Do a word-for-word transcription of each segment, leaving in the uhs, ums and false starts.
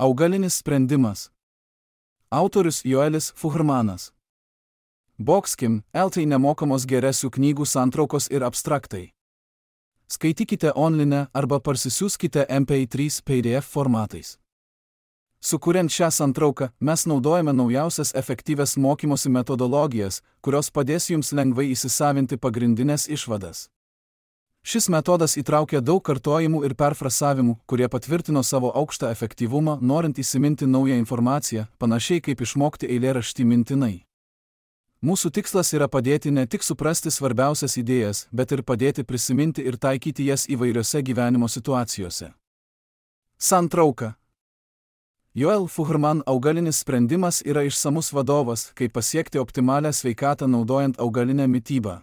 Augalinis sprendimas. Autorius Joelis Fuhrmanas. Boxkim, eltai nemokamos geresių knygų santraukos ir abstraktai. Skaitykite online arba parsisiųskite M P trys P D F formatais. Sukuriant šią santrauką, mes naudojame naujausias efektyvias mokymosi metodologijas, kurios padės jums lengvai įsisavinti pagrindinės išvadas. Šis metodas įtraukia daug kartojimų ir perfrasavimų, kurie patvirtino savo aukštą efektyvumą, norint įsiminti naują informaciją, panašiai kaip išmokti eilėraštį mintinai. Mūsų tikslas yra padėti ne tik suprasti svarbiausias idėjas, bet ir padėti prisiminti ir taikyti jas įvairiose gyvenimo situacijose. Santrauka. Joel Fuhrman augalinis sprendimas yra išsamus vadovas, kaip pasiekti optimalią sveikatą naudojant augalinę mitybą.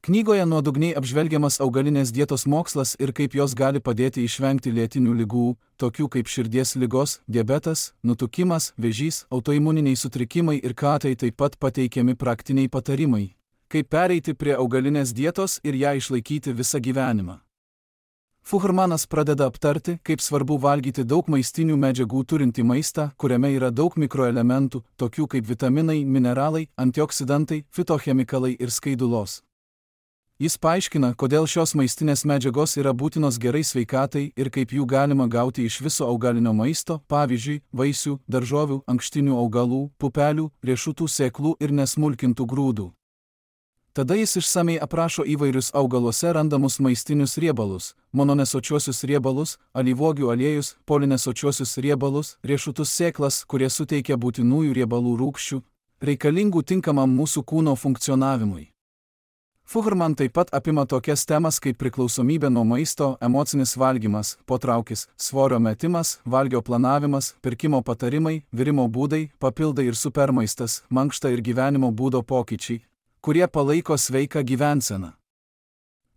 Knygoje nuodugniai apžvelgiamas augalinės dietos mokslas ir kaip jos gali padėti išvengti lėtinių ligų, tokių kaip širdies ligos, diabetas, nutukimas, vėžys, autoimuniniai sutrikimai ir katai, taip pat pateikiami praktiniai patarimai, kaip pereiti prie augalinės dietos ir ją išlaikyti visą gyvenimą. Fuhrmanas pradeda aptarti, kaip svarbu valgyti daug maistinių medžiagų turintį maistą, kuriame yra daug mikroelementų, tokių kaip vitaminai, mineralai, antioksidantai, fitochemikalai ir skaidulos. Jis paaiškina, kodėl šios maistinės medžiagos yra būtinos gerai sveikatai ir kaip jų galima gauti iš viso augalinio maisto, pavyzdžiui, vaisių, daržovių, ankštinių augalų, pupelių, riešutų sėklų ir nesmulkintų grūdų. Tada jis išsamei aprašo įvairius augaluose randamus maistinius riebalus, mononesočiuosius riebalus, alyvuogių aliejus, polinesočiuosius riebalus, riešutus sėklas, kurie suteikia būtinųjų riebalų rūgščių, reikalingų tinkamam mūsų kūno funkcionavimui. Fuhrman taip pat apima tokias temas kaip priklausomybė nuo maisto, emocinis valgymas, potraukis, svorio metimas, valgio planavimas, pirkimo patarimai, virimo būdai, papildai ir supermaistas, mankšta ir gyvenimo būdo pokyčiai, kurie palaiko sveiką gyvenseną.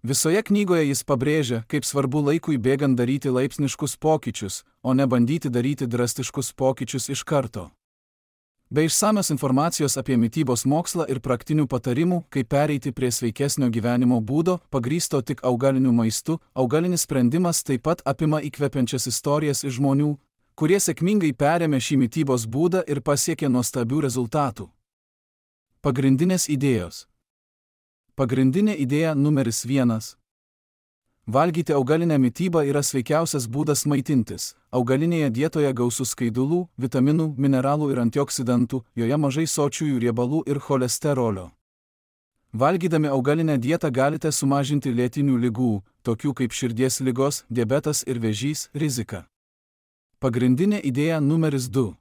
Visoje knygoje jis pabrėžia, kaip svarbu laikui bėgant daryti laipsniškus pokyčius, o ne bandyti daryti drastiškus pokyčius iš karto. Be išsamios informacijos apie mitybos mokslą ir praktinių patarimų, kaip pereiti prie sveikesnio gyvenimo būdo, pagrįsto tik augaliniu maistu, augalinis sprendimas taip pat apima įkvepiančias istorijas iš žmonių, kurie sėkmingai perėmė šį mitybos būdą ir pasiekė nuostabių rezultatų. Pagrindinės idėjos. Pagrindinė idėja numeris vienas. Valgyti augalinę mitybą yra sveikiausias būdas maitintis. Augalinėje dietoje gausu skaidulų, vitaminų, mineralų ir antioksidantų, joje mažai sočiųjų riebalų ir cholesterolio. Valgydami augalinę dietą galite sumažinti lėtinių ligų, tokių kaip širdies ligos, diabetas ir vėžys, riziką. Pagrindinė idėja numeris du.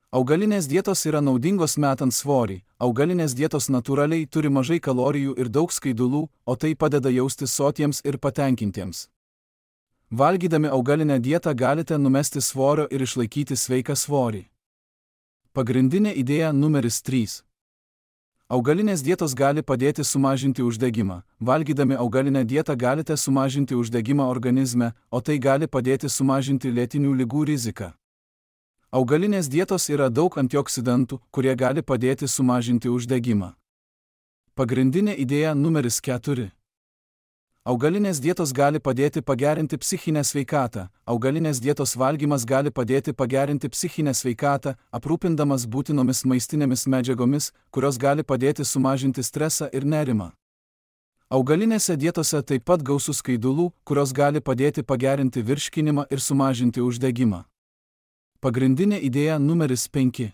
Augalinės dietos yra naudingos metant svorį. Augalinės dietos natūraliai turi mažai kalorijų ir daug skaidulų, o tai padeda jaustis sotiems ir patenkintiems. Valgydami augalinę dietą galite numesti svorio ir išlaikyti sveiką svorį. Pagrindinė idėja numeris trys. Augalinės dietos gali padėti sumažinti uždegimą. Valgydami augalinę dietą galite sumažinti uždegimą organizme, o tai gali padėti sumažinti lėtinių ligų riziką. Augalinės dietos yra daug antioksidantų, kurie gali padėti sumažinti uždegimą. Pagrindinė idėja numeris keturi. Augalinės dietos gali padėti pagerinti psichinę sveikatą. Augalinės dietos valgymas gali padėti pagerinti psichinę sveikatą, aprūpindamas būtinomis maistinėmis medžiagomis, kurios gali padėti sumažinti stresą ir nerimą. Augalinėse dietose taip pat gausu skaidulų, kurios gali padėti pagerinti virškinimą ir sumažinti uždegimą. Pagrindinė idėja numeris penki.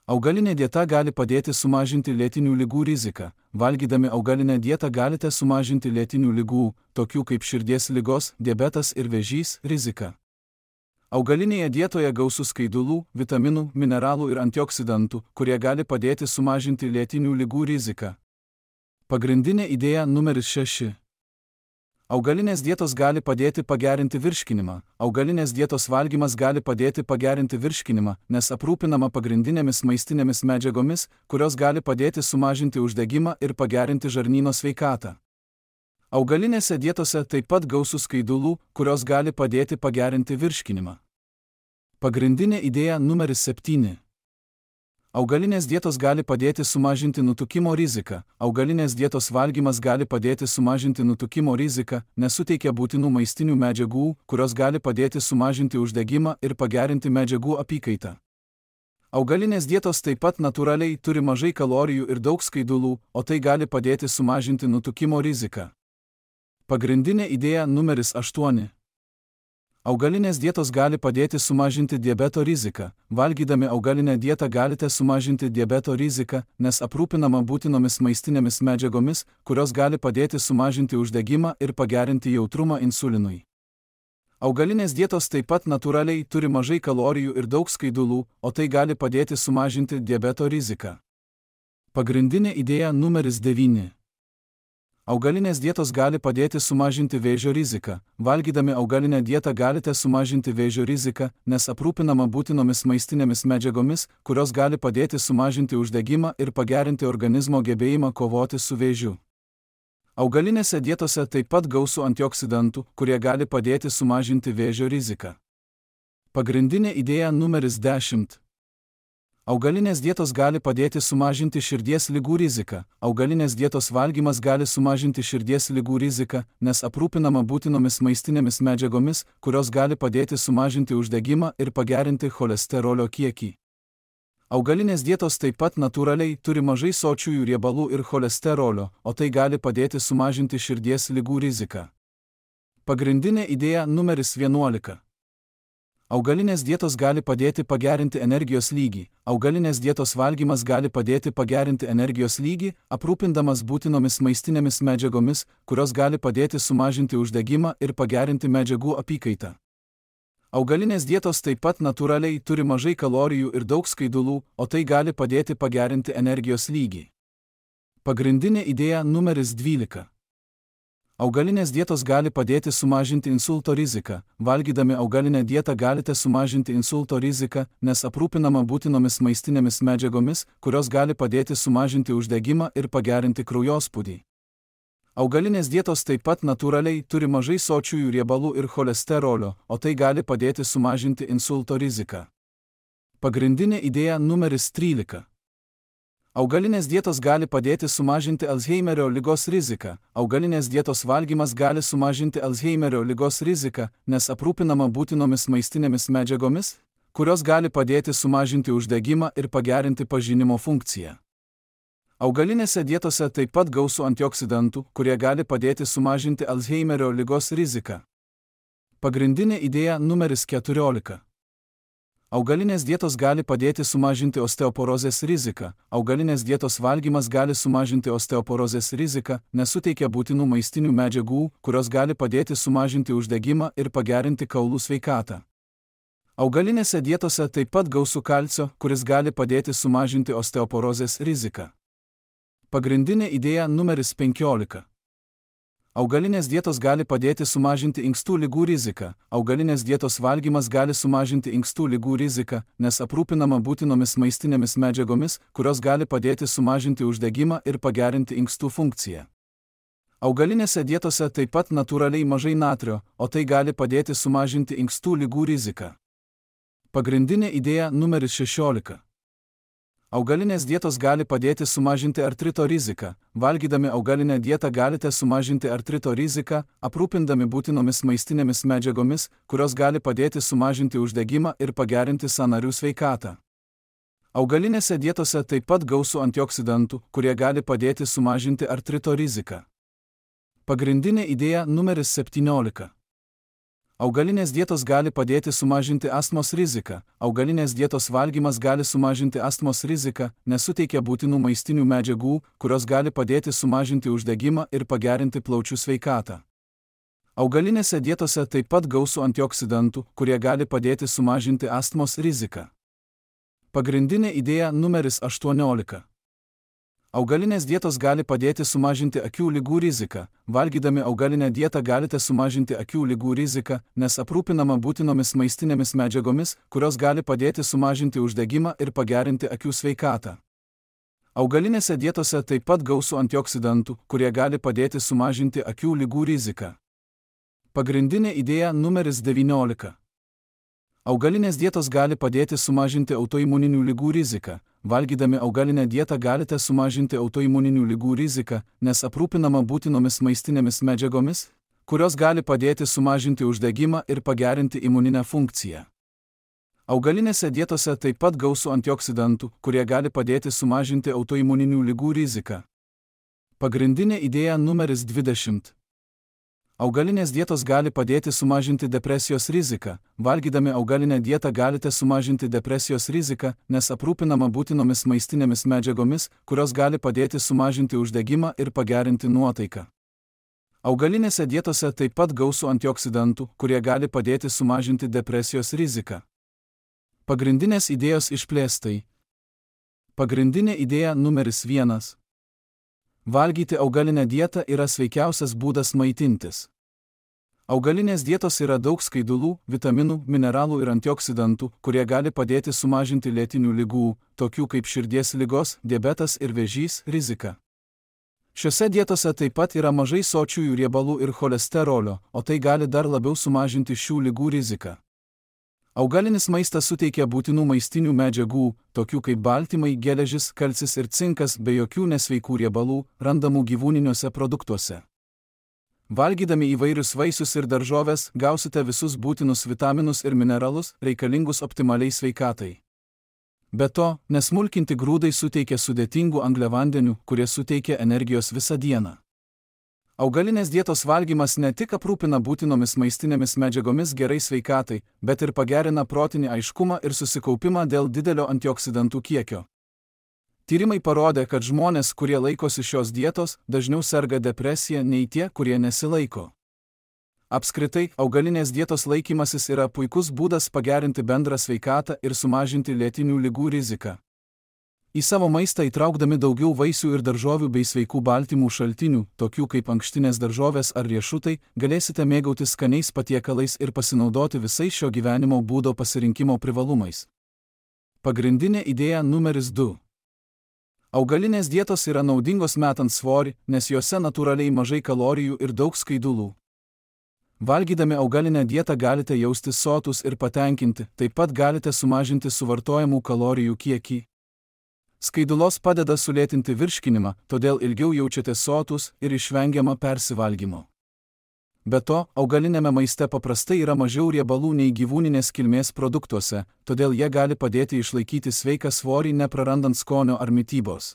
Augalinė dieta gali padėti sumažinti lėtinių ligų riziką. Valgydami augalinę dietą galite sumažinti lėtinių ligų, tokių kaip širdies ligos, diabetas ir vėžys, riziką. Augalinėje dietoje gausu skaidulų, vitaminų, mineralų ir antioksidantų, kurie gali padėti sumažinti lėtinių ligų riziką. Pagrindinė idėja numeris šeši. Augalinės dietos gali padėti pagerinti virškinimą. Augalinės dietos valgymas gali padėti pagerinti virškinimą, nes aprūpinama pagrindinėmis maistinėmis medžiagomis, kurios gali padėti sumažinti uždegimą ir pagerinti žarnyno sveikatą. Augalinėse dietose taip pat gausu skaidulų, kurios gali padėti pagerinti virškinimą. Pagrindinė idėja numeris septyni. Augalinės dietos gali padėti sumažinti nutukimo riziką. Augalinės dietos valgymas gali padėti sumažinti nutukimo riziką, nes suteikia būtinų maistinių medžiagų, kurios gali padėti sumažinti uždegimą ir pagerinti medžiagų apykaitą. Augalinės dietos taip pat natūraliai turi mažai kalorijų ir daug skaidulų, o tai gali padėti sumažinti nutukimo riziką. Pagrindinė idėja numeris aštuoni. Augalinės dietos gali padėti sumažinti diabeto riziką. Valgydami augalinę dietą galite sumažinti diabeto riziką, nes aprūpinama būtinomis maistinėmis medžiagomis, kurios gali padėti sumažinti uždegimą ir pagerinti jautrumą insulinui. Augalinės dietos taip pat natūraliai turi mažai kalorijų ir daug skaidulų, o tai gali padėti sumažinti diabeto riziką. Pagrindinė idėja numeris devyni. Augalinės dietos gali padėti sumažinti vėžio riziką. Valgydami augalinę dietą galite sumažinti vėžio riziką, nes aprūpinama būtinomis maistinėmis medžiagomis, kurios gali padėti sumažinti uždegimą ir pagerinti organizmo gebėjimą kovoti su vėžiu. Augalinėse dietose taip pat gausu antioksidantų, kurie gali padėti sumažinti vėžio riziką. Pagrindinė idėja numeris dešimt. Augalinės dietos gali padėti sumažinti širdies ligų riziką. Augalinės dietos valgymas gali sumažinti širdies ligų riziką, nes aprūpinama būtinomis maistinėmis medžiagomis, kurios gali padėti sumažinti uždegimą ir pagerinti cholesterolio kiekį. Augalinės dietos taip pat natūraliai turi mažai sočiųjų riebalų ir cholesterolio, o tai gali padėti sumažinti širdies ligų riziką. Pagrindinė idėja numeris vienuolika. Augalinės dietos gali padėti pagerinti energijos lygį. Augalinės dietos valgymas gali padėti pagerinti energijos lygį, aprūpindamas būtinomis maistinėmis medžiagomis, kurios gali padėti sumažinti uždegimą ir pagerinti medžiagų apykaitą. Augalinės dietos taip pat natūraliai turi mažai kalorijų ir daug skaidulų, o tai gali padėti pagerinti energijos lygį. Pagrindinė idėja numeris dvylika. Augalinės dietos gali padėti sumažinti insulto riziką. Valgydami augalinę dietą galite sumažinti insulto riziką, nes aprūpinama būtinomis maistinėmis medžiagomis, kurios gali padėti sumažinti uždegimą ir pagerinti kraujospūdį. Augalinės dietos taip pat natūraliai turi mažai sočiųjų riebalų ir cholesterolio, o tai gali padėti sumažinti insulto riziką. Pagrindinė idėja numeris trylika. Augalinės dietos gali padėti sumažinti Alzheimerio ligos riziką. Augalinės dietos valgymas gali sumažinti Alzheimerio ligos riziką, nes aprūpinama būtinomis maistinėmis medžiagomis, kurios gali padėti sumažinti uždegimą ir pagerinti pažinimo funkciją. Augalinėse dietose taip pat gausu antioksidantų, kurie gali padėti sumažinti Alzheimerio ligos riziką. Pagrindinė idėja numeris keturiolika. Augalinės dietos gali padėti sumažinti osteoporozės riziką. Augalinės dietos valgymas gali sumažinti osteoporozės riziką, nes suteikia būtinų maistinių medžiagų, kurios gali padėti sumažinti uždegimą ir pagerinti kaulų sveikatą. Augalinėse dietose taip pat gausu kalcio, kuris gali padėti sumažinti osteoporozės riziką. Pagrindinė idėja numeris penkiolika. Augalinės dietos gali padėti sumažinti inkstų ligų riziką. Augalinės dietos valgymas gali sumažinti inkstų ligų riziką, nes aprūpinama būtinomis maistinėmis medžiagomis, kurios gali padėti sumažinti uždegimą ir pagerinti inkstų funkciją. Augalinėse dietose taip pat natūraliai mažai natrio, o tai gali padėti sumažinti inkstų ligų riziką. Pagrindinė idėja numeris šešiolika. Augalinės dietos gali padėti sumažinti artrito riziką. Valgydami augalinę dietą galite sumažinti artrito riziką, aprūpindami būtinomis maistinėmis medžiagomis, kurios gali padėti sumažinti uždegimą ir pagerinti sąnarių sveikatą. Augalinėse dietose taip pat gausu antioksidantų, kurie gali padėti sumažinti artrito riziką. Pagrindinė idėja numeris septyniolika. Augalinės dietos gali padėti sumažinti astmos riziką. Augalinės dietos valgymas gali sumažinti astmos riziką, nes suteikia būtinų maistinių medžiagų, kurios gali padėti sumažinti uždegimą ir pagerinti plaučių sveikatą. Augalinėse dietose taip pat gausu antioksidantų, kurie gali padėti sumažinti astmos riziką. Pagrindinė idėja numeris aštuoniolika. Augalinės dietos gali padėti sumažinti akių ligų riziką. Valgydami augalinę dietą galite sumažinti akių ligų riziką, nes aprūpinama būtinomis maistinėmis medžiagomis, kurios gali padėti sumažinti uždegimą ir pagerinti akių sveikatą. Augalinėse dietose taip pat gausu antioksidantų, kurie gali padėti sumažinti akių ligų riziką. Pagrindinė idėja numeris devyniolika. Augalinės dietos gali padėti sumažinti autoimuninių ligų riziką. Valgydami augalinę dietą galite sumažinti autoimuninių ligų riziką, nes aprūpinama būtinomis maistinėmis medžiagomis, kurios gali padėti sumažinti uždegimą ir pagerinti imuninę funkciją. Augalinėse dietose taip pat gausu antioksidantų, kurie gali padėti sumažinti autoimuninių ligų riziką. Pagrindinė idėja numeris dvidešimt. Augalinės dietos gali padėti sumažinti depresijos riziką. Valgydami augalinę dietą galite sumažinti depresijos riziką, nes aprūpinama būtinomis maistinėmis medžiagomis, kurios gali padėti sumažinti uždegimą ir pagerinti nuotaiką. Augalinėse dietose taip pat gausu antioksidantų, kurie gali padėti sumažinti depresijos riziką. Pagrindinės idėjos išplėstai. Pagrindinė idėja numeris vienas. Valgyti augalinę dietą yra sveikiausias būdas maitintis. Augalinės dietos yra daug skaidulų, vitaminų, mineralų ir antioksidantų, kurie gali padėti sumažinti lėtinių ligų, tokių kaip širdies ligos, diabetas ir vėžys, riziką. Šiose dietose taip pat yra mažai sočiųjų riebalų ir cholesterolio, o tai gali dar labiau sumažinti šių ligų riziką. Augalinis maistas suteikia būtinų maistinių medžiagų, tokių kaip baltymai, geležis, kalcis ir cinkas, be jokių nesveikų riebalų, randamų gyvūniniuose produktuose. Valgydami įvairius vaisius ir daržoves, gausite visus būtinus vitaminus ir mineralus, reikalingus optimaliai sveikatai. Be to, nesmulkinti grūdai suteikia sudėtingų angliavandenių, kurie suteikia energijos visą dieną. Augalinės dietos valgymas ne tik aprūpina būtinomis maistinėmis medžiagomis gerai sveikatai, bet ir pagerina protinį aiškumą ir susikaupimą dėl didelio antioksidantų kiekio. Tyrimai parodė, kad žmonės, kurie laikosi šios dietos, dažniau serga depresija nei tie, kurie nesilaiko. Apskritai, augalinės dietos laikymasis yra puikus būdas pagerinti bendrą sveikatą ir sumažinti lėtinių ligų riziką. Į savo maistą įtraukdami daugiau vaisių ir daržovių bei sveikų baltymų šaltinių, tokių kaip ankštinės daržovės ar riešutai, galėsite mėgautis skaniais patiekalais ir pasinaudoti visais šio gyvenimo būdo pasirinkimo privalumais. Pagrindinė idėja numeris du. Augalinės dietos yra naudingos metant svorį, nes juose natūraliai mažai kalorijų ir daug skaidulų. Valgydami augalinę dietą galite jaustis sotus ir patenkinti, taip pat galite sumažinti suvartojamų kalorijų kiekį. Skaidulos padeda sulėtinti virškinimą, todėl ilgiau jaučiatės sotus ir išvengiama persivalgymo. Be to, augalinėme maiste paprastai yra mažiau riebalų nei gyvūninės kilmės produktuose, todėl jie gali padėti išlaikyti sveiką svorį neprarandant skonio ar mitybos.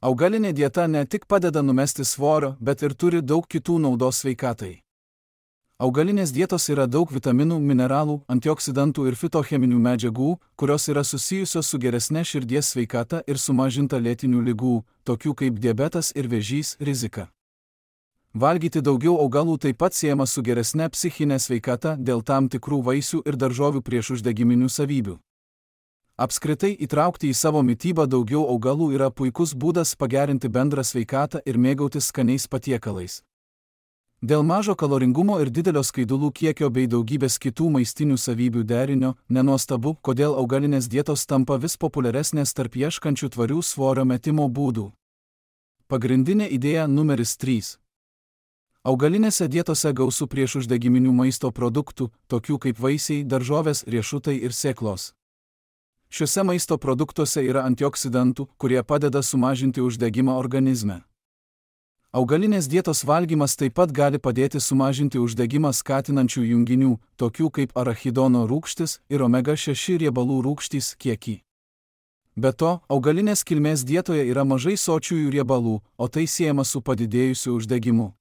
Augalinė dieta ne tik padeda numesti svorio, bet ir turi daug kitų naudos sveikatai. Augalinės dietos yra daug vitaminų, mineralų, antioksidantų ir fitocheminių medžiagų, kurios yra susijusios su geresne širdies sveikata ir sumažinta lėtinių ligų, tokių kaip diabetas ir vėžys, rizika. Valgyti daugiau augalų taip pat siejama su geresne psichinė sveikata dėl tam tikrų vaisių ir daržovių priešuždegiminių savybių. Apskritai, įtraukti į savo mitybą daugiau augalų yra puikus būdas pagerinti bendrą sveikatą ir mėgautis skaniais patiekalais. Dėl mažo kaloringumo ir didelio skaidulų kiekio bei daugybės kitų maistinių savybių derinio, nenuostabu, kodėl augalinės dietos tampa vis populiaresnės tarp ieškančių tvarių svorio metimo būdų. Pagrindinė idėja numeris trys. Augalinėse dietose gausu priešuždegiminių maisto produktų, tokių kaip vaisiai, daržovės, riešutai ir sėklos. Šiuose maisto produktuose yra antioksidantų, kurie padeda sumažinti uždegimą organizme. Augalinės dietos valgymas taip pat gali padėti sumažinti uždegimą skatinančių junginių, tokių kaip arachidono rūgštis ir omega šeši riebalų rūgštys kiekį. Be to, augalinės kilmės dietoje yra mažai sočiųjų riebalų, o tai siejama su padidėjusiu uždegimu.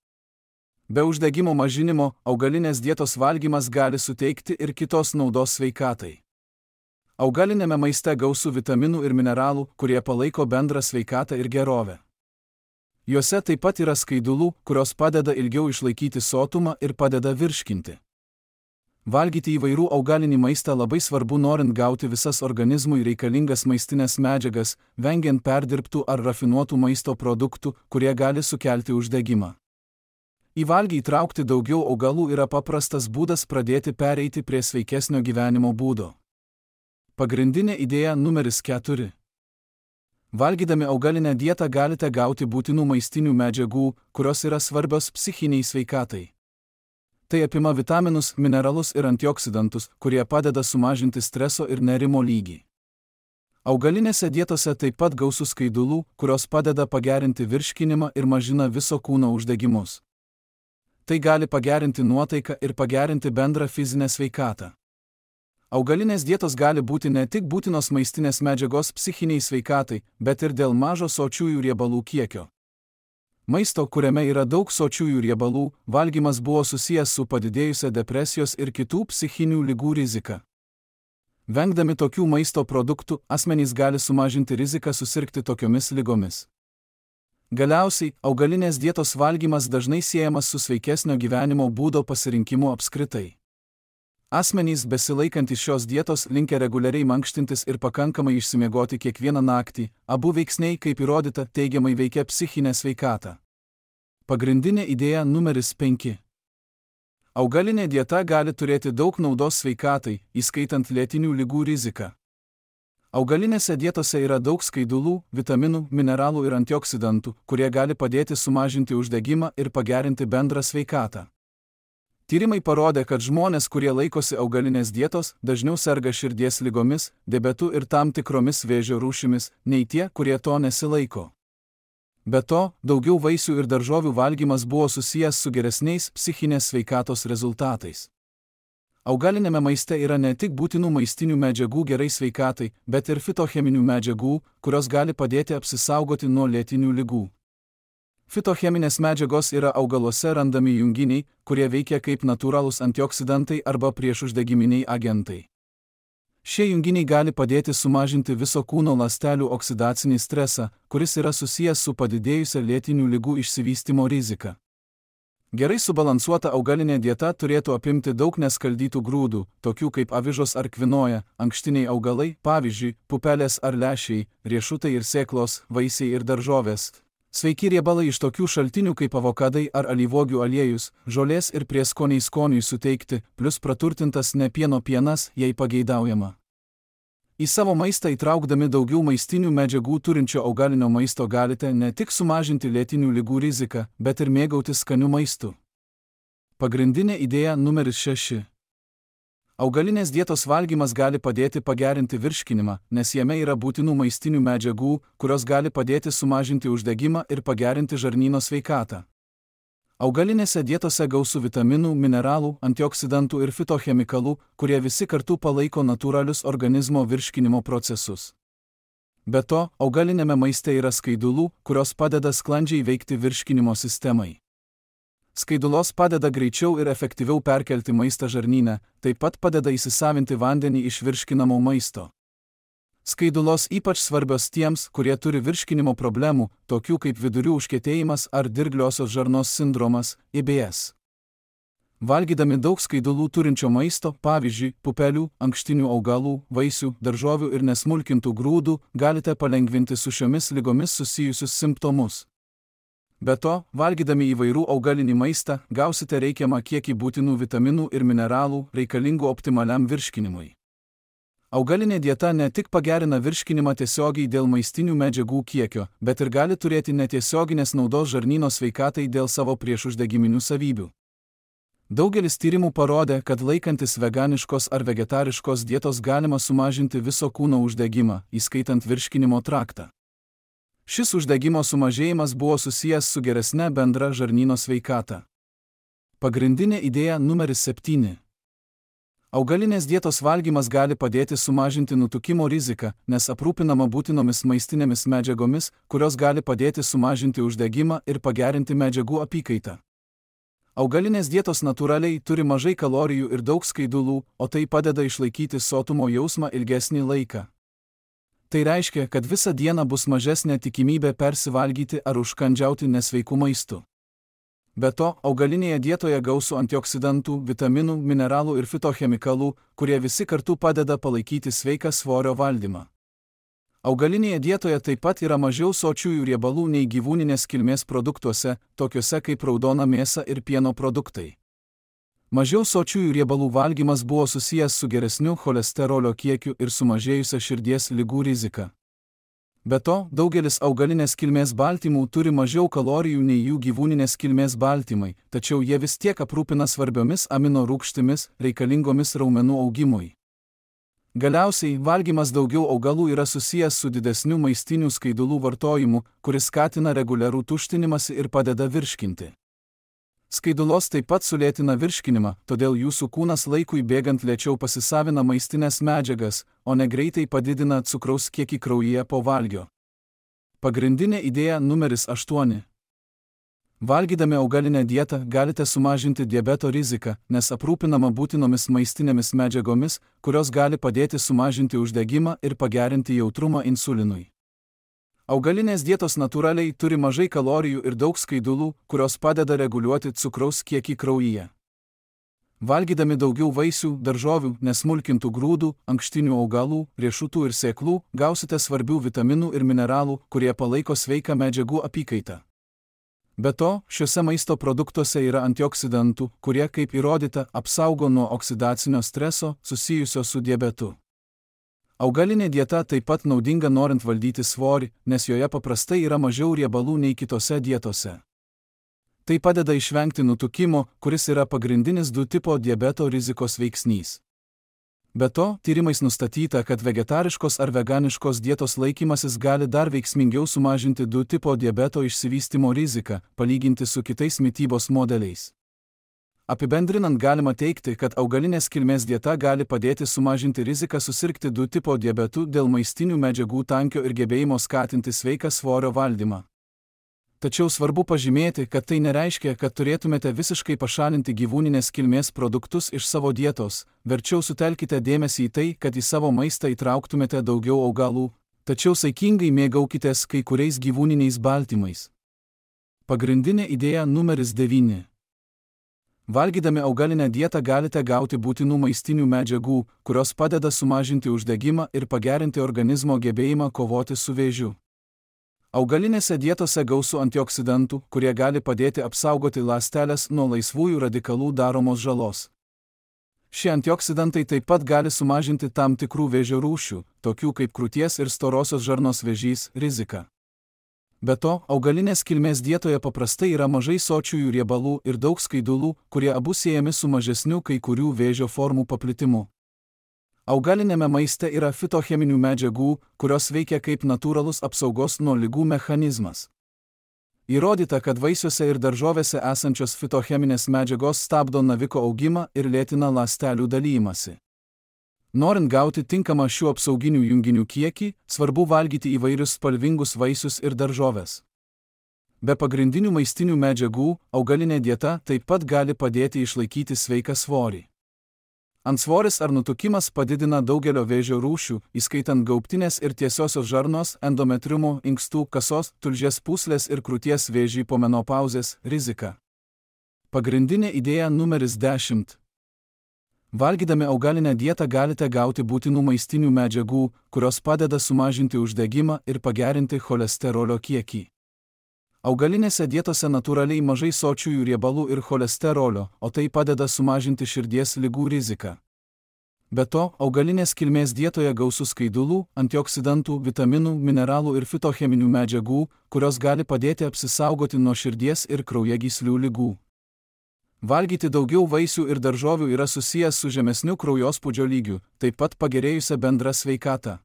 Be uždegimo mažinimo, augalinės dietos valgymas gali suteikti ir kitos naudos sveikatai. Augalinėme maiste gausu vitaminų ir mineralų, kurie palaiko bendrą sveikatą ir gerovę. Juose taip pat yra skaidulų, kurios padeda ilgiau išlaikyti sotumą ir padeda virškinti. Valgyti įvairių augalinį maistą labai svarbu norint gauti visas organizmui reikalingas maistinės medžiagas, vengiant perdirbtų ar rafinuotų maisto produktų, kurie gali sukelti uždegimą. Į valgį įtraukti daugiau augalų yra paprastas būdas pradėti pereiti prie sveikesnio gyvenimo būdo. Pagrindinė idėja numeris keturi. Valgydami augalinę dietą galite gauti būtinų maistinių medžiagų, kurios yra svarbios psichiniai sveikatai. Tai apima vitaminus, mineralus ir antioksidantus, kurie padeda sumažinti streso ir nerimo lygį. Augalinėse dietose taip pat gausu skaidulų, kurios padeda pagerinti virškinimą ir mažina viso kūno uždegimus. Tai gali pagerinti nuotaiką ir pagerinti bendrą fizinę sveikatą. Augalinės dietos gali būti ne tik būtinos maistinės medžiagos psichiniai sveikatai, bet ir dėl mažo sočiųjų riebalų kiekio. Maisto, kuriame yra daug sočiųjų riebalų, valgymas buvo susijęs su padidėjusia depresijos ir kitų psichinių ligų rizika. Vengdami tokių maisto produktų, asmenys gali sumažinti riziką susirgti tokiomis ligomis. Galiausiai, augalinės dietos valgymas dažnai siejamas su sveikesnio gyvenimo būdo pasirinkimu apskritai. Asmenys besilaikantys šios dietos linkę reguliariai mankštintis ir pakankamai išsimiegoti kiekvieną naktį, abu veiksniai, kaip įrodyta, teigiamai veikia psichinę sveikatą. Pagrindinė idėja numeris penki. Augalinė dieta gali turėti daug naudos sveikatai, įskaitant lėtinių ligų riziką. Augalinėse dietose yra daug skaidulų, vitaminų, mineralų ir antioksidantų, kurie gali padėti sumažinti uždegimą ir pagerinti bendrą sveikatą. Tyrimai parodė, kad žmonės, kurie laikosi augalinės dietos, dažniau serga širdies ligomis, diabetu ir tam tikromis vėžio rūšimis, nei tie, kurie to nesilaiko. Be to, daugiau vaisių ir daržovių valgymas buvo susijęs su geresniais psichinės sveikatos rezultatais. Augalinėme maiste yra ne tik būtinų maistinių medžiagų gerai sveikatai, bet ir fitocheminių medžiagų, kurios gali padėti apsisaugoti nuo lėtinių ligų. Fitocheminės medžiagos yra augaluose randami junginiai, kurie veikia kaip natūralūs antioksidantai arba priešuždegiminiai agentai. Šie junginiai gali padėti sumažinti viso kūno ląstelių oksidacinį stresą, kuris yra susijęs su padidėjusia lėtinių ligų išsivystymo rizika. Gerai subalansuota augalinė dieta turėtų apimti daug neskaldytų grūdų, tokių kaip avižos ar kvinoja, ankštiniai augalai, pavyzdžiui, pupelės ar lęšiai, riešutai ir sėklos, vaisiai ir daržovės. Sveiki riebalai iš tokių šaltinių kaip avokadai ar alyvuogių aliejus, žolės ir prieskoniai skoniui suteikti, plus praturtintas ne pieno pienas, jei pageidaujama. Į savo maistą įtraukdami daugiau maistinių medžiagų turinčio augalinio maisto galite ne tik sumažinti lėtinių ligų riziką, bet ir mėgautis skaniu maistu. Pagrindinė idėja numeris šeši. Augalinės dietos valgymas gali padėti pagerinti virškinimą, nes jame yra būtinų maistinių medžiagų, kurios gali padėti sumažinti uždegimą ir pagerinti žarnyno sveikatą. Augalinėse dietose gausu vitaminų, mineralų, antioksidantų ir fitochemikalų, kurie visi kartu palaiko natūralius organizmo virškinimo procesus. Be to, augalinėme maiste yra skaidulų, kurios padeda sklandžiai veikti virškinimo sistemai. Skaidulos padeda greičiau ir efektyviau perkelti maistą žarnyne, taip pat padeda įsisavinti vandenį iš virškinamo maisto. Skaidulos ypač svarbios tiems, kurie turi virškinimo problemų, tokių kaip vidurių užkietėjimas ar dirgliosios žarnos sindromas, I B S. Valgydami daug skaidulų turinčio maisto, pavyzdžiui, pupelių, ankštinių augalų, vaisių, daržovių ir nesmulkintų grūdų, galite palengvinti su šiomis ligomis susijusius simptomus. Be to, valgydami įvairių augalinį maistą, gausite reikiamą kiekį būtinų vitaminų ir mineralų, reikalingų optimaliam virškinimui. Augalinė dieta ne tik pagerina virškinimą tiesiogiai dėl maistinių medžiagų kiekio, bet ir gali turėti netiesioginės naudos žarnyno sveikatai dėl savo priešuždegiminių savybių. Daugelis tyrimų parodė, kad laikantis veganiškos ar vegetariškos dietos galima sumažinti viso kūno uždegimą, įskaitant virškinimo traktą. Šis uždegimo sumažėjimas buvo susijęs su geresne bendra žarnyno sveikata. Pagrindinė idėja numeris septyni. Augalinės dietos valgymas gali padėti sumažinti nutukimo riziką, nes aprūpinama būtinomis maistinėmis medžiagomis, kurios gali padėti sumažinti uždegimą ir pagerinti medžiagų apykaitą. Augalinės dietos natūraliai turi mažai kalorijų ir daug skaidulų, o tai padeda išlaikyti sotumo jausmą ilgesnį laiką. Tai reiškia, kad visą dieną bus mažesnė tikimybė persivalgyti ar užkandžiauti nesveiku maistu. Be to, augalinėje dietoje gausu antioksidantų, vitaminų, mineralų ir fitochemikalų, kurie visi kartu padeda palaikyti sveiką svorio valdymą. Augalinėje dietoje taip pat yra mažiau sočiųjų riebalų nei gyvūninės kilmės produktuose, tokiuose kaip raudona mėsa ir pieno produktai. Mažiau sočiųjų riebalų valgymas buvo susijęs su geresniu cholesterolio kiekiu ir sumažėjusia širdies ligų rizika. Be to, daugelis augalinės kilmės baltymų turi mažiau kalorijų nei jų gyvūninės kilmės baltymai, tačiau jie vis tiek aprūpina svarbiomis amino rūgštimis, reikalingomis raumenų augimui. Galiausiai, valgymas daugiau augalų yra susijęs su didesniu maistinių skaidulų vartojimu, kuris skatina reguliarų tuštinimąsi ir padeda virškinti. Skaidulos taip pat sulėtina virškinimą, todėl jūsų kūnas laikui bėgant lėčiau pasisavina maistinės medžiagas, o ne greitai padidina cukraus kiekį kraujyje po valgio. Pagrindinė idėja numeris aštuoni. Valgydami augalinę dietą galite sumažinti diabeto riziką, nes aprūpinama būtinomis maistinėmis medžiagomis, kurios gali padėti sumažinti uždegimą ir pagerinti jautrumą insulinui. Augalinės dietos natūraliai turi mažai kalorijų ir daug skaidulų, kurios padeda reguliuoti cukraus kiekį kraujyje. Valgydami daugiau vaisių, daržovių, nesmulkintų grūdų, ankštinių augalų, riešutų ir sėklų, gausite svarbių vitaminų ir mineralų, kurie palaiko sveiką medžiagų apykaitą. Be to, šiuose maisto produktuose yra antioksidantų, kurie, kaip įrodyta, apsaugo nuo oksidacinio streso susijusio su diabetu. Augalinė dieta taip pat naudinga norint valdyti svorį, nes joje paprastai yra mažiau riebalų nei kitose dietose. Tai padeda išvengti nutukimo, kuris yra pagrindinis du tipo diabeto rizikos veiksnys. Be to, tyrimais nustatyta, kad vegetariškos ar veganiškos dietos laikymasis gali dar veiksmingiau sumažinti du tipo diabeto išsivystymo riziką, palyginti su kitais mitybos modeliais. Apibendrinant galima teikti, kad augalinės kilmės dieta gali padėti sumažinti riziką susirgti du tipo diabetu dėl maistinių medžiagų tankio ir gebėjimo skatinti sveiką svorio valdymą. Tačiau svarbu pažymėti, kad tai nereiškia, kad turėtumėte visiškai pašalinti gyvūninės kilmės produktus iš savo dietos, verčiau sutelkite dėmesį į tai, kad į savo maistą įtrauktumėte daugiau augalų, tačiau saikingai mėgaukitės kai kuriais gyvūniniais baltymais. Pagrindinė idėja numeris devyni. Valgydami augalinę dietą galite gauti būtinų maistinių medžiagų, kurios padeda sumažinti uždegimą ir pagerinti organizmo gebėjimą kovoti su vėžiu. Augalinėse dietose gausu antioksidantų, kurie gali padėti apsaugoti ląsteles nuo laisvųjų radikalų daromos žalos. Šie antioksidantai taip pat gali sumažinti tam tikrų vėžio rūšių, tokių kaip krūties ir storosios žarnos vėžys, riziką. Be to, augalinės kilmės dietoje paprastai yra mažai sočiųjų riebalų ir daug skaidulų, kurie abu siejami su mažesniu kai kurių vėžio formų paplitimu. Augalinėme maiste yra fitocheminių medžiagų, kurios veikia kaip natūralus apsaugos nuo ligų mechanizmas. Įrodyta, kad vaisiuose ir daržovėse esančios fitocheminės medžiagos stabdo naviko augimą ir lėtina ląstelių dalijimąsi. Norint gauti tinkamą šių apsauginių junginių kiekį, svarbu valgyti įvairius spalvingus vaisius ir daržoves. Be pagrindinių maistinių medžiagų, augalinė dieta taip pat gali padėti išlaikyti sveiką svorį. Antsvoris ar nutukimas padidina daugelio vėžio rūšių, įskaitant gaubtinės ir tiesiosios žarnos, endometriumo, inkstų, kasos, tulžies pūslės ir krūties vėžį po menopauzės riziką. Pagrindinė idėja numeris dešimt. Valgydami augalinę dietą galite gauti būtinų maistinių medžiagų, kurios padeda sumažinti uždegimą ir pagerinti cholesterolio kiekį. Augalinėse dietose natūraliai mažai sočiųjų riebalų ir cholesterolio, o tai padeda sumažinti širdies ligų riziką. Be to, augalinės kilmės dietoje gausu skaidulų, antioksidantų, vitaminų, mineralų ir fitocheminių medžiagų, kurios gali padėti apsisaugoti nuo širdies ir kraujagyslių ligų. Valgyti daugiau vaisių ir daržovių yra susijęs su žemesniu kraujospūdžio lygiu, taip pat pagerėjusia bendra sveikata.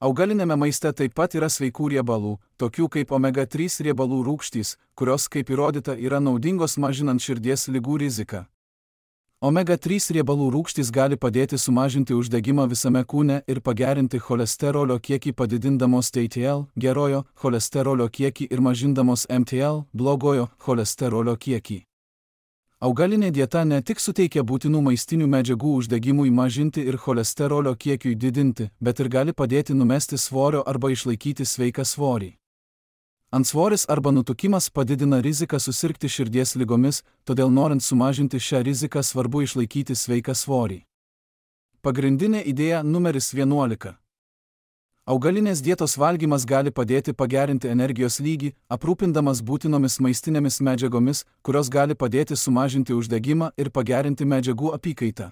Augalinėme maiste taip pat yra sveikų riebalų, tokių kaip omega trys riebalų rūgštys, kurios, kaip įrodyta, yra naudingos mažinant širdies ligų riziką. omega trys riebalų rūgštys gali padėti sumažinti uždegimą visame kūne ir pagerinti cholesterolio kiekį padidindamos T T L, gerojo cholesterolio kiekį ir mažindamos M T L, blogojo cholesterolio kiekį. Augalinė dieta ne tik suteikia būtinų maistinių medžiagų uždegimui mažinti ir cholesterolio kiekiui didinti, bet ir gali padėti numesti svorio arba išlaikyti sveiką svorį. Antsvoris arba nutukimas padidina riziką susirgti širdies ligomis, todėl norint sumažinti šią riziką svarbu išlaikyti sveiką svorį. Pagrindinė idėja numeris vienuolika. Augalinės dietos valgymas gali padėti pagerinti energijos lygį, aprūpindamas būtinomis maistinėmis medžiagomis, kurios gali padėti sumažinti uždegimą ir pagerinti medžiagų apykaitą.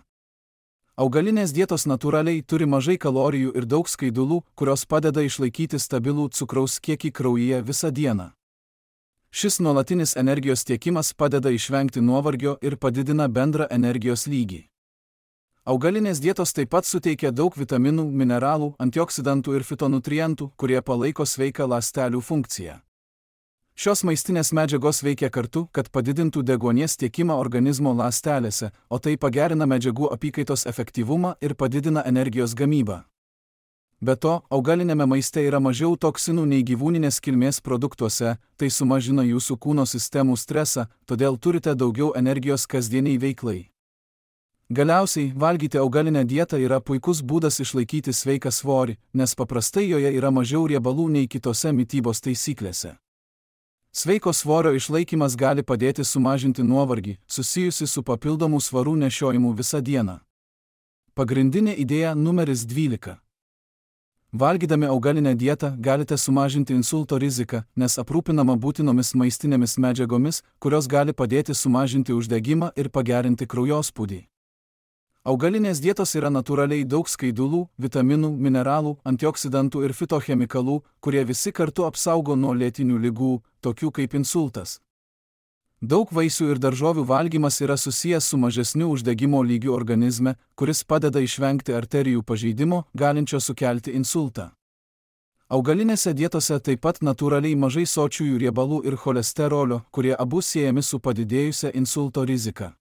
Augalinės dietos natūraliai turi mažai kalorijų ir daug skaidulų, kurios padeda išlaikyti stabilų cukraus kiekį kraujyje visą dieną. Šis nuolatinis energijos tiekimas padeda išvengti nuovargio ir padidina bendrą energijos lygį. Augalinės dietos taip pat suteikia daug vitaminų, mineralų, antioksidantų ir fitonutrientų, kurie palaiko sveiką ląstelių funkciją. Šios maistinės medžiagos veikia kartu, kad padidintų deguonies tiekimą organizmo ląstelėse, o tai pagerina medžiagų apykaitos efektyvumą ir padidina energijos gamybą. Be to, augalinėme maiste yra mažiau toksinų nei gyvūninės kilmės produktuose, tai sumažina jūsų kūno sistemų stresą, todėl turite daugiau energijos kasdieniai veiklai. Galiausiai, valgyti augalinę dietą yra puikus būdas išlaikyti sveiką svorį, nes paprastai joje yra mažiau riebalų nei kitose mitybos taisyklėse. Sveiko svorio išlaikymas gali padėti sumažinti nuovargį, susijusi su papildomų svarų nešiojimu visą dieną. Pagrindinė idėja numeris dvylika. Valgydami augalinę dietą galite sumažinti insulto riziką, nes aprūpinama būtinomis maistinėmis medžiagomis, kurios gali padėti sumažinti uždegimą ir pagerinti kraujospūdį. Augalinės dietos yra natūraliai daug skaidulų, vitaminų, mineralų, antioksidantų ir fitochemikalų, kurie visi kartu apsaugo nuo lėtinių ligų, tokių kaip insultas. Daug vaisių ir daržovių valgymas yra susijęs su mažesniu uždegimo lygiu organizme, kuris padeda išvengti arterijų pažeidimo, galinčio sukelti insultą. Augalinėse dietose taip pat natūraliai mažai sočiųjų riebalų ir cholesterolio, kurie abu siejami su padidėjusia insulto rizika.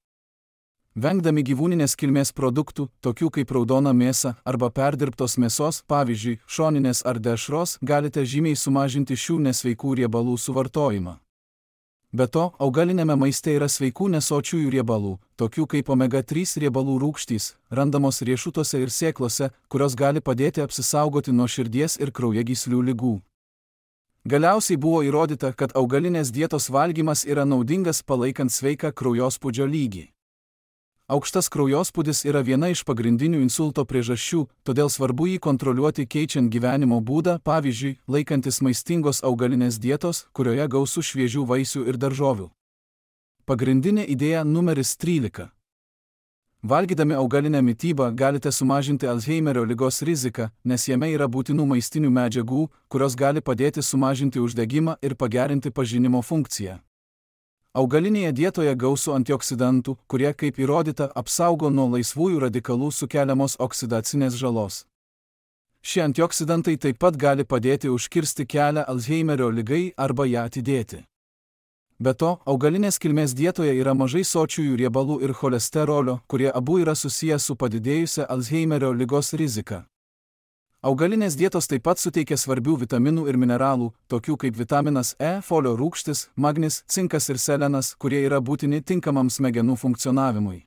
Vengdami gyvūninės kilmės produktų, tokių kaip raudona mėsa arba perdirbtos mėsos, pavyzdžiui, šoninės ar dešros, galite žymiai sumažinti šių nesveikų riebalų suvartojimą. Be to, augalinėme maiste yra sveikų nesočiųjų riebalų, tokių kaip omega trys riebalų rūgštys, randamos riešutuose ir sėklose, kurios gali padėti apsisaugoti nuo širdies ir kraujagyslių ligų. Galiausiai buvo įrodyta, kad augalinės dietos valgymas yra naudingas palaikant sveiką kraujospūdžio lygį. Aukštas kraujospūdis yra viena iš pagrindinių insulto priežasčių, todėl svarbu jį kontroliuoti keičiant gyvenimo būdą, pavyzdžiui, laikantis maistingos augalinės dietos, kurioje gausu šviežių vaisių ir daržovių. Pagrindinė idėja numeris trylika. Valgydami augalinę mitybą galite sumažinti Alzheimerio ligos riziką, nes jame yra būtinų maistinių medžiagų, kurios gali padėti sumažinti uždegimą ir pagerinti pažinimo funkciją. Augalinėje dietoje gausu antioksidantų, kurie, kaip įrodyta, apsaugo nuo laisvųjų radikalų sukeliamos oksidacinės žalos. Šie antioksidantai taip pat gali padėti užkirsti kelią Alzheimerio ligai arba ją atidėti. Be to, augalinės kilmės dietoje yra mažai sočiųjų riebalų ir cholesterolio, kurie abu yra susiję su padidėjusia Alzheimerio ligos rizika. Augalinės dietos taip pat suteikia svarbių vitaminų ir mineralų, tokių kaip vitaminas E, folio rūgštis, magnis, cinkas ir selenas, kurie yra būtini tinkamam smegenų funkcionavimui.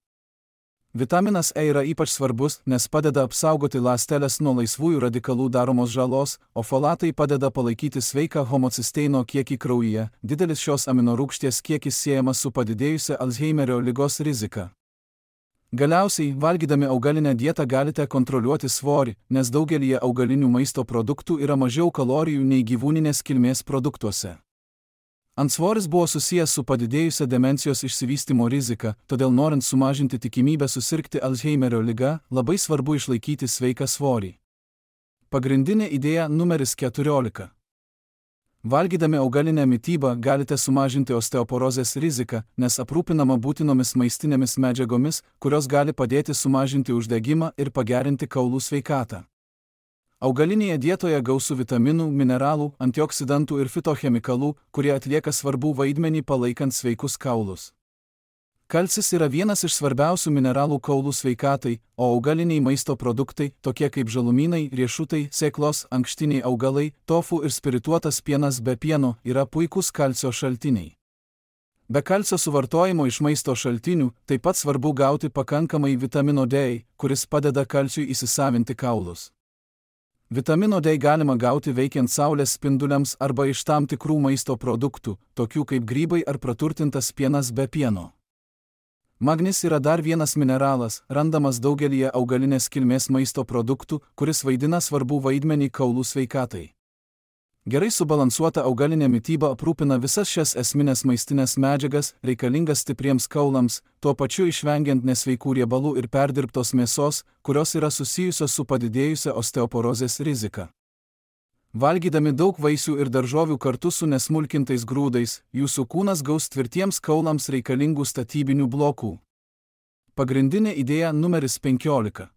Vitaminas E yra ypač svarbus, nes padeda apsaugoti ląsteles nuo laisvųjų radikalų daromos žalos, o folatai padeda palaikyti sveiką homocisteino kiekį kraujyje. Didelis šios aminorūgšties kiekis siejamas su padidėjusia Alzheimerio ligos rizika. Galiausiai, valgydami augalinę dietą galite kontroliuoti svorį, nes daugelyje augalinių maisto produktų yra mažiau kalorijų nei gyvūninės kilmės produktuose. Antsvoris buvo susijęs su padidėjusia demencijos išsivystymo rizika, todėl norint sumažinti tikimybę susirgti Alzheimerio liga, labai svarbu išlaikyti sveiką svorį. Pagrindinė idėja numeris keturiolika. Valgydami augalinę mitybą galite sumažinti osteoporozės riziką, nes aprūpinama būtinomis maistinėmis medžiagomis, kurios gali padėti sumažinti uždegimą ir pagerinti kaulų sveikatą. Augalinėje dietoje gausu vitaminų, mineralų, antioksidantų ir fitochemikalų, kurie atlieka svarbų vaidmenį palaikant sveikus kaulus. Kalcis yra vienas iš svarbiausių mineralų kaulų sveikatai, o augaliniai maisto produktai, tokie kaip žalumynai, riešutai, sėklos, ankštiniai augalai, tofu ir spirituotas pienas be pieno, yra puikūs kalcio šaltiniai. Be kalcio suvartojimo iš maisto šaltinių, taip pat svarbu gauti pakankamai vitamino D, kuris padeda kalciui įsisavinti kaulus. Vitamino D galima gauti veikiant saulės spinduliams arba iš tam tikrų maisto produktų, tokių kaip grybai ar praturtintas pienas be pieno. Magnis yra dar vienas mineralas, randamas daugelyje augalinės kilmės maisto produktų, kuris vaidina svarbų vaidmenį kaulų sveikatai. Gerai subalansuota augalinė mityba aprūpina visas šias esminės maistinės medžiagas, reikalingas stipriems kaulams, tuo pačiu išvengiant nesveikų riebalų ir perdirbtos mėsos, kurios yra susijusios su padidėjusia osteoporozės rizika. Valgydami daug vaisių ir daržovių kartu su nesmulkintais grūdais, jūsų kūnas gaus tvirtiems kaulams reikalingų statybinių blokų. Pagrindinė idėja numeris penkiolika.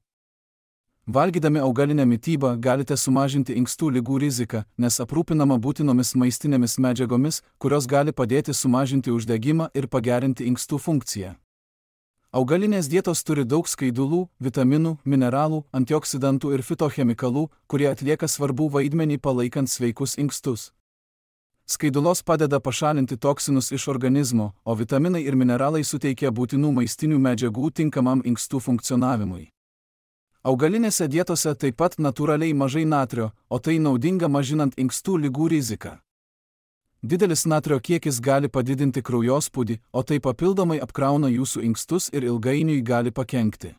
Valgydami augalinę mitybą galite sumažinti inkstų ligų riziką, nes aprūpinama būtinomis maistinėmis medžiagomis, kurios gali padėti sumažinti uždegimą ir pagerinti inkstų funkciją. Augalinės dietos turi daug skaidulų, vitaminų, mineralų, antioksidantų ir fitochemikalų, kurie atlieka svarbų vaidmenį palaikant sveikus inkstus. Skaidulos padeda pašalinti toksinus iš organizmo, o vitaminai ir mineralai suteikia būtinų maistinių medžiagų tinkamam inkstų funkcionavimui. Augalinėse dietose taip pat natūraliai mažai natrio, o tai naudinga mažinant inkstų ligų riziką. Didelis natrio kiekis gali padidinti kraujospūdį, o tai papildomai apkrauna jūsų inkstus ir ilgainiui gali pakenkti.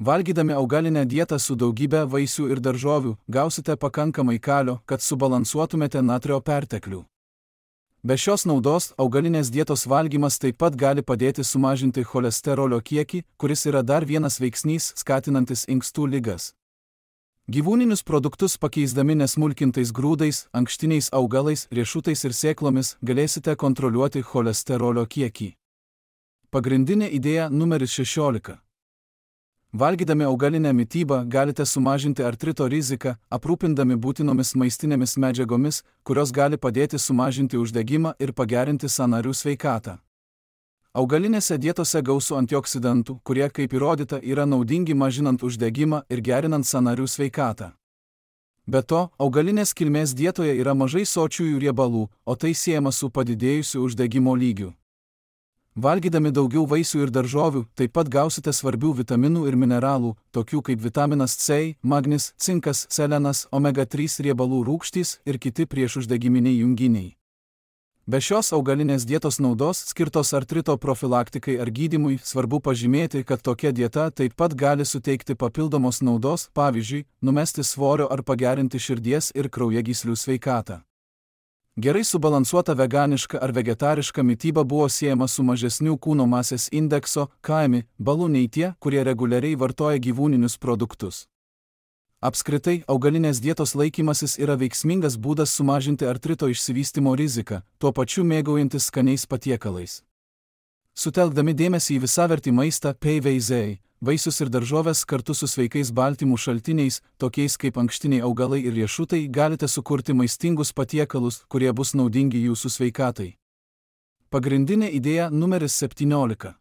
Valgydami augalinę dietą su daugybė vaisių ir daržovių, gausite pakankamai kalio, kad subalansuotumėte natrio perteklių. Be šios naudos, augalinės dietos valgymas taip pat gali padėti sumažinti cholesterolio kiekį, kuris yra dar vienas veiksnys skatinantis inkstų ligas. Gyvūninius produktus pakeisdami nesmulkintais grūdais, ankštiniais augalais, riešutais ir sėklomis galėsite kontroliuoti cholesterolio kiekį. Pagrindinė idėja numeris šešiolika. Valgydami augalinę mitybą galite sumažinti artrito riziką, aprūpindami būtinomis maistinėmis medžiagomis, kurios gali padėti sumažinti uždegimą ir pagerinti sąnarių sveikatą. Augalinėse dietose gausu antioksidantų, kurie, kaip įrodyta, yra naudingi mažinant uždegimą ir gerinant sąnarių sveikatą. Be to, augalinės kilmės dietoje yra mažai sočiųjų riebalų, o tai siejama su padidėjusiu uždegimo lygiu. Valgydami daugiau vaisių ir daržovių, taip pat gausite svarbių vitaminų ir mineralų, tokių kaip vitaminas C, magnis, cinkas, selenas, omega trys riebalų rūgštys ir kiti priešuždegiminiai junginiai. Be šios augalinės dietos naudos skirtos artrito profilaktikai ar gydymui, svarbu pažymėti, kad tokia dieta taip pat gali suteikti papildomos naudos, pavyzdžiui, numesti svorio ar pagerinti širdies ir kraujagyslių sveikatą. Gerai subalansuota veganiška ar vegetariška mityba buvo siejama su mažesniu kūno masės indekso K M I balu nei tie, kurie reguliariai vartoja gyvūninius produktus. Apskritai, augalinės dietos laikymasis yra veiksmingas būdas sumažinti artrito išsivystymo riziką, tuo pačiu mėgaujantis skaniais patiekalais. Sutelkdami dėmesį į visavertį maistą P V Z, vaisius ir daržoves kartu su sveikais baltymų šaltiniais, tokiais kaip ankštiniai augalai ir riešutai, galite sukurti maistingus patiekalus, kurie bus naudingi jūsų sveikatai. Pagrindinė idėja numeris septyniolika.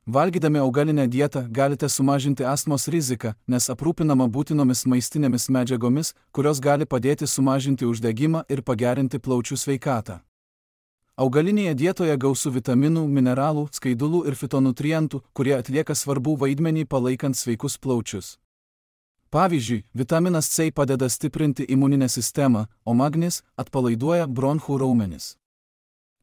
Valgydami augalinę dietą galite sumažinti astmos riziką, nes aprūpinama būtinomis maistinėmis medžiagomis, kurios gali padėti sumažinti uždegimą ir pagerinti plaučių sveikatą. Augalinėje dietoje gausu vitaminų, mineralų, skaidulų ir fitonutrientų, kurie atlieka svarbų vaidmenį palaikant sveikus plaučius. Pavyzdžiui, vitaminas C padeda stiprinti imuninę sistemą, o magnis atpalaiduoja bronchų raumenis.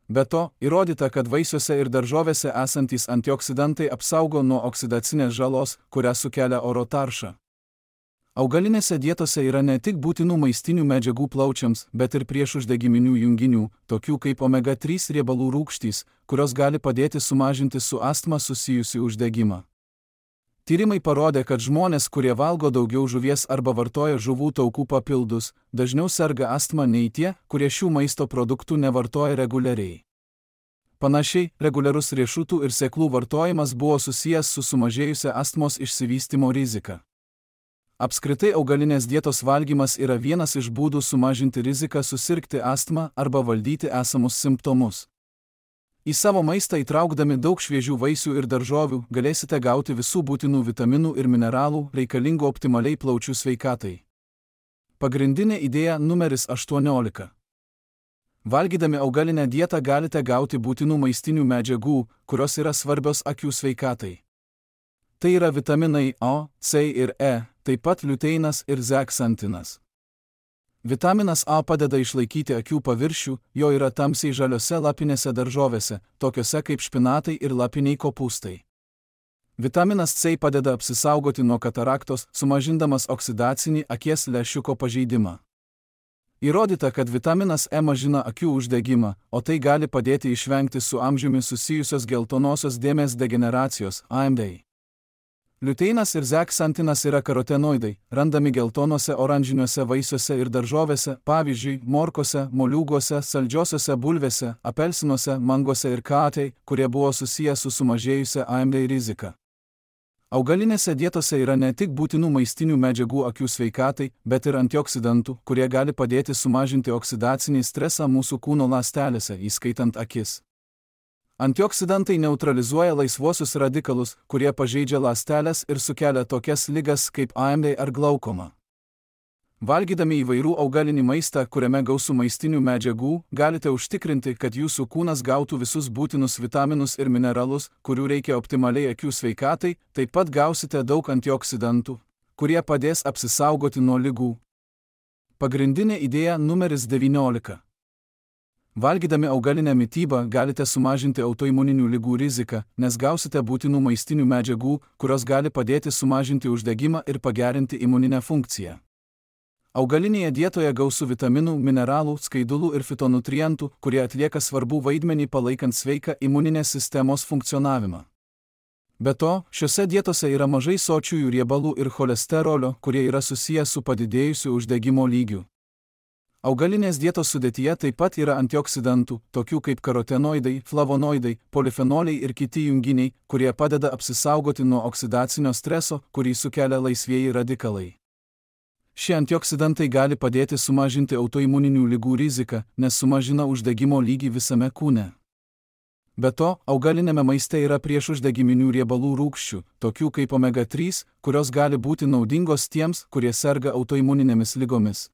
Be to, įrodyta, kad vaisiuose ir daržovėse esantys antioksidantai apsaugo nuo oksidacinės žalos, kurią sukelia oro tarša. Augalinėse dietose yra ne tik būtinų maistinių medžiagų plaučiams, bet ir priešuždegiminių junginių, tokių kaip omega trys riebalų rūgštys, kurios gali padėti sumažinti su astma susijusį uždegimą. Tyrimai parodė, kad žmonės, kurie valgo daugiau žuvies arba vartoja žuvų taukų papildus, dažniau serga astma nei tie, kurie šių maisto produktų nevartoja reguliariai. Panašiai, reguliarus riešutų ir sėklų vartojimas buvo susijęs su sumažėjusia astmos išsivystymo rizika. Apskritai augalinės dietos valgymas yra vienas iš būdų sumažinti riziką susirgti astmą arba valdyti esamus simptomus. Į savo maistą įtraukdami daug šviežių vaisių ir daržovių galėsite gauti visų būtinų vitaminų ir mineralų reikalingų optimaliai plaučių sveikatai. Pagrindinė idėja numeris aštuoniolika. Valgydami augalinę dietą galite gauti būtinų maistinių medžiagų, kurios yra svarbios akių sveikatai. Tai yra vitaminai A, C ir E, taip pat liuteinas ir zeksantinas. Vitaminas A padeda išlaikyti akių paviršių, jo yra tamsiai žaliose lapinėse daržovėse, tokiose kaip špinatai ir lapiniai kopūstai. Vitaminas C padeda apsisaugoti nuo kataraktos, sumažindamas oksidacinį akies lęšiuko pažeidimą. Įrodyta, kad vitaminas E mažina akių uždegimą, o tai gali padėti išvengti su amžiumi susijusios geltonosios dėmės degeneracijos A M D. Liuteinas ir zeksantinas yra karotenoidai, randami geltonuose oranžiniuose vaisiuose ir daržovėse, pavyzdžiui, morkose, moliūguose, saldžiosiuose bulvėse, apelsinuose, manguose ir katei, kurie buvo susiję su sumažėjusia A M D rizika. Augalinėse dietose yra ne tik būtinų maistinių medžiagų akių sveikatai, bet ir antioksidantų, kurie gali padėti sumažinti oksidacinį stresą mūsų kūno ląstelėse, įskaitant akis. Antioksidantai neutralizuoja laisvuosius radikalus, kurie pažeidžia ląsteles ir sukelia tokias ligas kaip A M D ar glaukoma. Valgydami įvairių augalinį maistą, kuriame gausu maistinių medžiagų, galite užtikrinti, kad jūsų kūnas gautų visus būtinus vitaminus ir mineralus, kurių reikia optimaliai akių sveikatai, taip pat gausite daug antioksidantų, kurie padės apsisaugoti nuo ligų. Pagrindinė idėja numeris devyniolika. Valgydami augalinę mitybą galite sumažinti autoimuninių ligų riziką, nes gausite būtinų maistinių medžiagų, kurios gali padėti sumažinti uždegimą ir pagerinti imuninę funkciją. Augalinėje dietoje gausu vitaminų, mineralų, skaidulų ir fitonutrientų, kurie atlieka svarbų vaidmenį palaikant sveiką imuninės sistemos funkcionavimą. Be to, šiose dietose yra mažai sočiųjų riebalų ir cholesterolio, kurie yra susiję su padidėjusiu uždegimo lygiu. Augalinės dietos sudėtyje taip pat yra antioksidantų, tokių kaip karotenoidai, flavonoidai, polifenoliai ir kiti junginiai, kurie padeda apsisaugoti nuo oksidacinio streso, kurį sukelia laisvieji radikalai. Šie antioksidantai gali padėti sumažinti autoimuninių ligų riziką, nes sumažina uždegimo lygį visame kūne. Be to, augalinėme maiste yra priešuždegiminių riebalų rūgščių, tokių kaip omega trys, kurios gali būti naudingos tiems, kurie serga autoimuninėmis ligomis.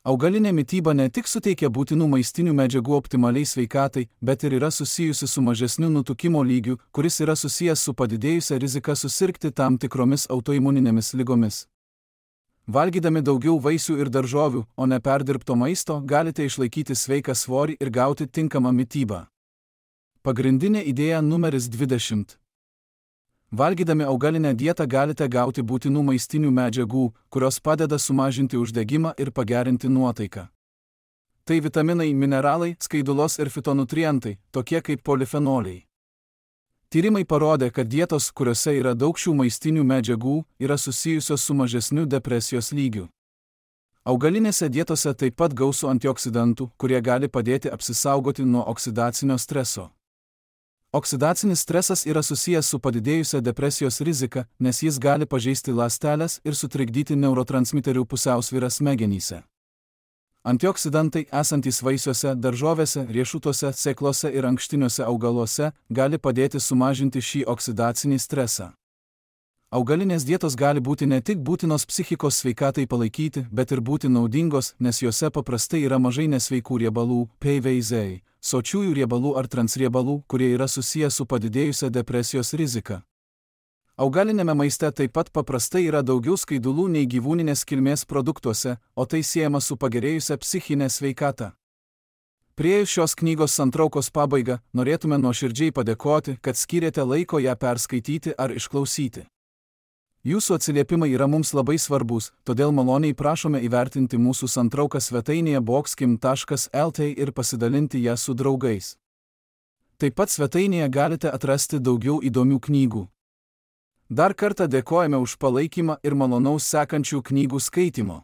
Augalinė mityba ne tik suteikia būtinų maistinių medžiagų optimaliai sveikatai, bet ir yra susijusi su mažesniu nutukimo lygiu, kuris yra susijęs su padidėjusia rizika susirgti tam tikromis autoimuninėmis ligomis. Valgydami daugiau vaisių ir daržovių, o ne perdirbto maisto, galite išlaikyti sveiką svorį ir gauti tinkamą mitybą. Pagrindinė idėja numeris dvidešimt. Valgydami augalinę dietą galite gauti būtinų maistinių medžiagų, kurios padeda sumažinti uždegimą ir pagerinti nuotaiką. Tai vitaminai, mineralai, skaidulos ir fitonutrientai, tokie kaip polifenoliai. Tyrimai parodė, kad dietos, kuriuose yra daug šių maistinių medžiagų, yra susijusios su mažesniu depresijos lygiu. Augalinėse dietose taip pat gausu antioksidantų, kurie gali padėti apsisaugoti nuo oksidacinio streso. Oksidacinis stresas yra susijęs su padidėjusia depresijos rizika, nes jis gali pažeisti ląsteles ir sutrikdyti neurotransmiterių pusiausvyrą smegenyse. Antioksidantai esantys vaisiuose, daržovėse, riešutuose, sėklose ir ankštiniuose augaluose gali padėti sumažinti šį oksidacinį stresą. Augalinės dietos gali būti ne tik būtinos psichikos sveikatai palaikyti, bet ir būti naudingos, nes juose paprastai yra mažai nesveikų riebalų, P V Z, sočiųjų riebalų ar transriebalų, kurie yra susiję su padidėjusia depresijos rizika. Augalinėme maiste taip pat paprastai yra daugiau skaidulų nei gyvūninės kilmės produktuose, o tai siejama su pagerėjusia psichinė sveikata. Priėjus šios knygos santraukos pabaigą, norėtume nuoširdžiai padėkoti, kad skyrėte laiko ją perskaityti ar išklausyti. Jūsų atsiliepimai yra mums labai svarbus, todėl maloniai prašome įvertinti mūsų santrauką svetainėje boxkim taškas L T ir pasidalinti ją su draugais. Taip pat svetainėje galite atrasti daugiau įdomių knygų. Dar kartą dėkojame už palaikymą ir malonaus sekančių knygų skaitimo.